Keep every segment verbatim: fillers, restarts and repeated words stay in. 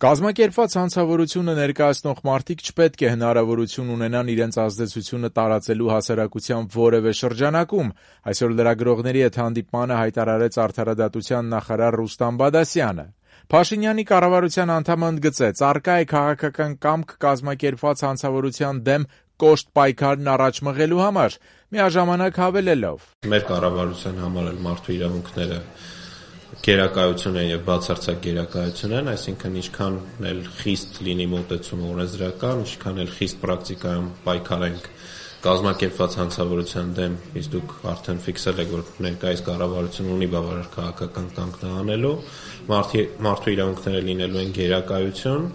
Կազմակերպված հանցավորությունը ներկայացնող մարդիկ չպետք է հնարավորություն ունենան իրենց ազդեցությունը տարածելու հասարակության որևէ շրջանակում, այսօր լրագրողների հետ հանդիպմանը հայտարարեց Արդարադատության նախարար Ռուստամ Բադասյանը։ Փաշինյանի կառավարության անդամը ընդգծեց, առկա է քաղաքական կամք կազմակերպված հանցավորության դեմ կոշտ պայքարն առաջ մղելու համար, միաժամանակ հավելելով. Մեր կառավարության համար էլ մարդու իրավունքները գերակայություն են եւ բացարձակ գերակայություն են, այսինքն ինչքան էլ խիստ լինի մոտեցումը օրենսդրական, ինչքան էլ խիստ պրակտիկայում պայքարենք կազմակերպված հանցավորության դեմ, իսկ դուք արդեն ֆիքսել եք, որ ներկայիս կառավարությունը ունի բավարար քաղաքական կամք դա անելու, մարդու իրավունքները լինելու են գերակայություն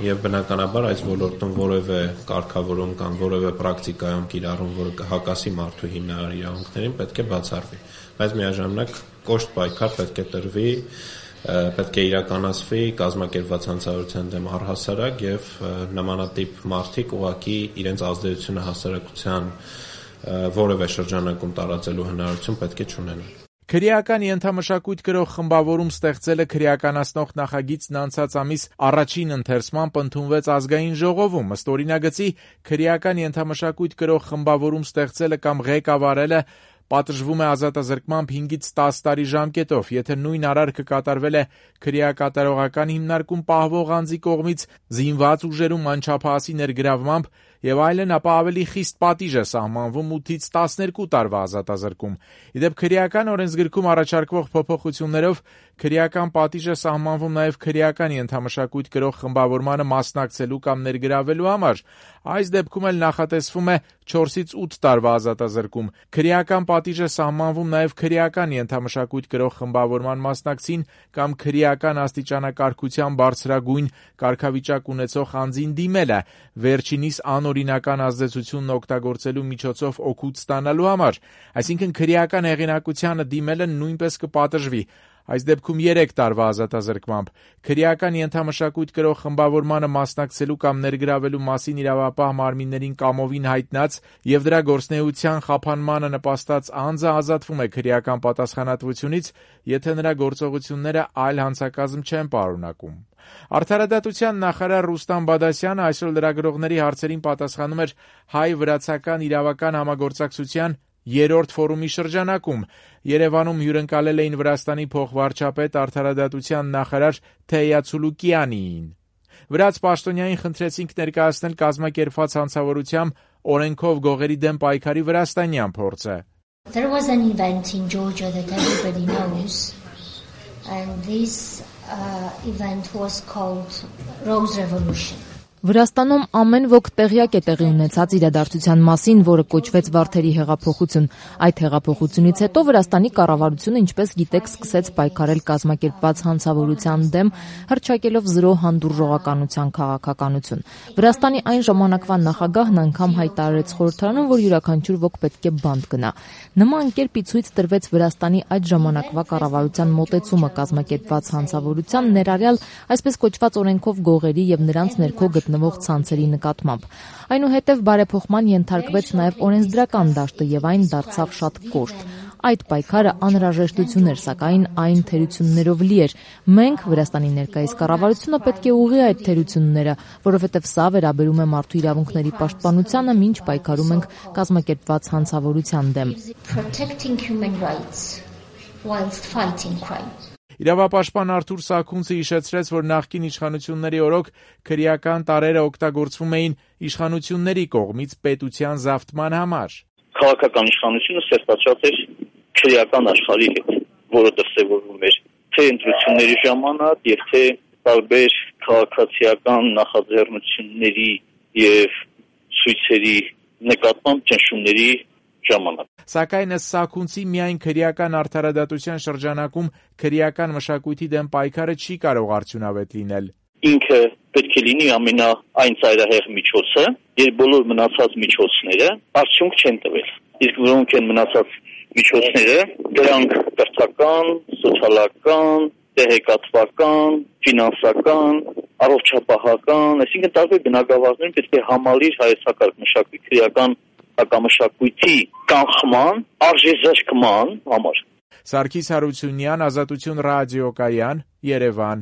եւ բնականաբար այս ոլորտում որևէ կարգավորում կամ որևէ պրակտիկայում կիրառում, որը կհակասի մարդու հիմնարար իրավունքներին, պետք է բացառվի, բայց միաժամանակ կոշտ պայքար պետք է տրվի, պետք է իրականացվի կազմակերպված հանցավորության դեմ առհասարակ եւ նմանատիպ մարդիկ ուղղակի իրենց ազդեցությունը հասարակության որևէ շրջանակում տարածելու հնարավորություն պետք է չունենան։ Քրեական ենթամշակույթ կրող խմբավորում ստեղծելը քրեականացնող նախագիծն անցած ամիս առաջին ընթերցմամբ ընդունվեց ազգային ժողովում, ըստ օրինագծի քրեական ենթամշակույթ կրող խմբավորում ստեղծելը կամ ղեկավարելը պատժվում է ազատազրկմամբ հինգից տաս տարի ժամկետով, եթե նույն արարքը կատարվել է քրեակատարողական հիմնարկում պահվող անձի կողմից զինված ուժերում անչափահասի ներգրավմամբ եւ այլն, ապա ավելի խիստ պատիժ է սահմանվում ութից տասներկու տարվա ազատազրկում։ Իդեպ քրեական օրենսգրքում առաջարկվող փոփոխություններով քրեական պատիժ է սահմանվում նաեւ քրեական ենթամշակույթ կրող խմբավորմանը մասնակցելու կամ ներգրավելու համար։ Այս դեպքում էլ նախատեսվում է չորսից ութ տարվա ազատազրկում։ Քրեական պատիժ է սահմանվում նաեւ քրեական ենթամշակույթ կրող խմբավորման մասնակցին կամ քրեական աստիճանակարգության բարձրագույն կարգավիճակ ունեցող անձին դիմելը, վերջինիս անօրինական ազդեցությունն օգտագործելու միջոցով օգուտ ստանալու համար, այսինքն քրեական հեղինակությանը դիմելը նույնպես կպատժվի, այս դեպքում երեք տարվա ազատազրկմամբ։ Քրեական ենթամշակույթ կրող խմբավորմանը մասնակցելու կամ ներգրավելու մասին իրավապահ մարմիններին կամովին հայտնած եւ դրա գործունեության խափանմանը նպաստած անձը ազատվում է քրեական պատասխանատվությունից, եթե նրա գործողությունները այլ հանցակազմ չեն պարունակում։ Արդարադատության նախարար Ռուստամ Բադասյանը այսօր լրագրողների հարցերին պատասխանում էր հայ-վրացական իրավական համագործակցության երրորդ ֆորումի շրջանակում։ Երևանում հյուրընկալել էին Վրաստանի փոխվարչապետ արդարադատության նախարար Թեյա Ցուլուկյանին։ Վրաց պաշտոնյային խնդրեցինք ներկայացնել կազմակերպված հանցավորությամբ օրենքով գողերի դեմ պայքարի վրաստանյան փորձը։ There was an event in Georgia that everybody knows, and this uh, event was called Rose Revolution. Վրաստանում ամեն ոք տեղյակ է տեղի ունեցած իրադարձության մասին, որը կոչվեց Վարդերի հեղափոխություն։ Այդ հեղափոխությունից հետո Վրաստանի կառավարությունը, ինչպես գիտեք, սկսեց պայքարել կազմակերպված հանցավորության դեմ, հռչակելով զրո հանդուրժողականության քաղաքականություն։ Վրաստանի այն ժամանակվա նախագահն անգամ հայտարարեց խորհրդարանում, որ յուրաքանչյուր ոք պետք է բանտ գնա։ Նման կերպ ի ցույց տրվեց Վրաստանի այդ ժամանակվա կառավարության մոտեցումը կազմակերպված հանցավորության, ներառյալ այսպես կոչված օրենքով գողերի եւ նրանց ներքո գտնվող ցանցերի նկատմամբ։ Այնուհետև բարեփոխման ենթարկվեց նաև օրենսդրական դաշտը եւ այն դարձավ շատ կոշտ։ Այդ պայքարը անհրաժեշտություն էր, սակայն այն թերություններով լի էր։ Մենք, Վրաստանի ներկայիս կառավարությունը, պետք է ուղղի այդ թերությունները, որովհետև սա վերաբերում է մարդու իրավունքների պաշտպանությանը, մինչ պայքարում ենք կազմակերպված հանցավորության դեմ։ Իրավապաշտպան Արթուր Սաքունցը հիշեցրեց, որ նախկին իշխանությունների օրոք քրեական տարրերը օգտագործվում էին իշխանությունների կողմից պետության զավթման համար։ Քաղաքական իշխանությունը սերտացած էր քրեական աշխարհի հետ, որը դրսևորվում էր թե ընտրությունների ժամանակ եւ թե տարբեր քաղաքացիական նախաձեռնությունների եւ ցույցերի նկատմամբ ճնշումների ժամանակ։ Սակայն ըստ Սաքունցի միայն քրեական արդարադատության շրջանակում քրեական մշակույթի դեմ պայքարը չի կարող արդյունավետ լինել։ Ինքը պետք է լինի ամենա այն ծայրահեղ միջոցը, երբ բոլոր մնացած միջոցները արդյունք չեն տվել։ Իսկ որոնք են մնացած միջոցները, դրանք կրթական, սոցիալական, տեղեկատվական, ֆինանսական, առողջապահական, այսինքն տարբեր բնագավառներում պետք է համալիր հայեցակարգ մշակույթ քրեական հակամշակույթի կանխման, արժեզրկման համար։ Սարգիս Հարությունյան, Ազատություն ռադիոկայան, Երևան։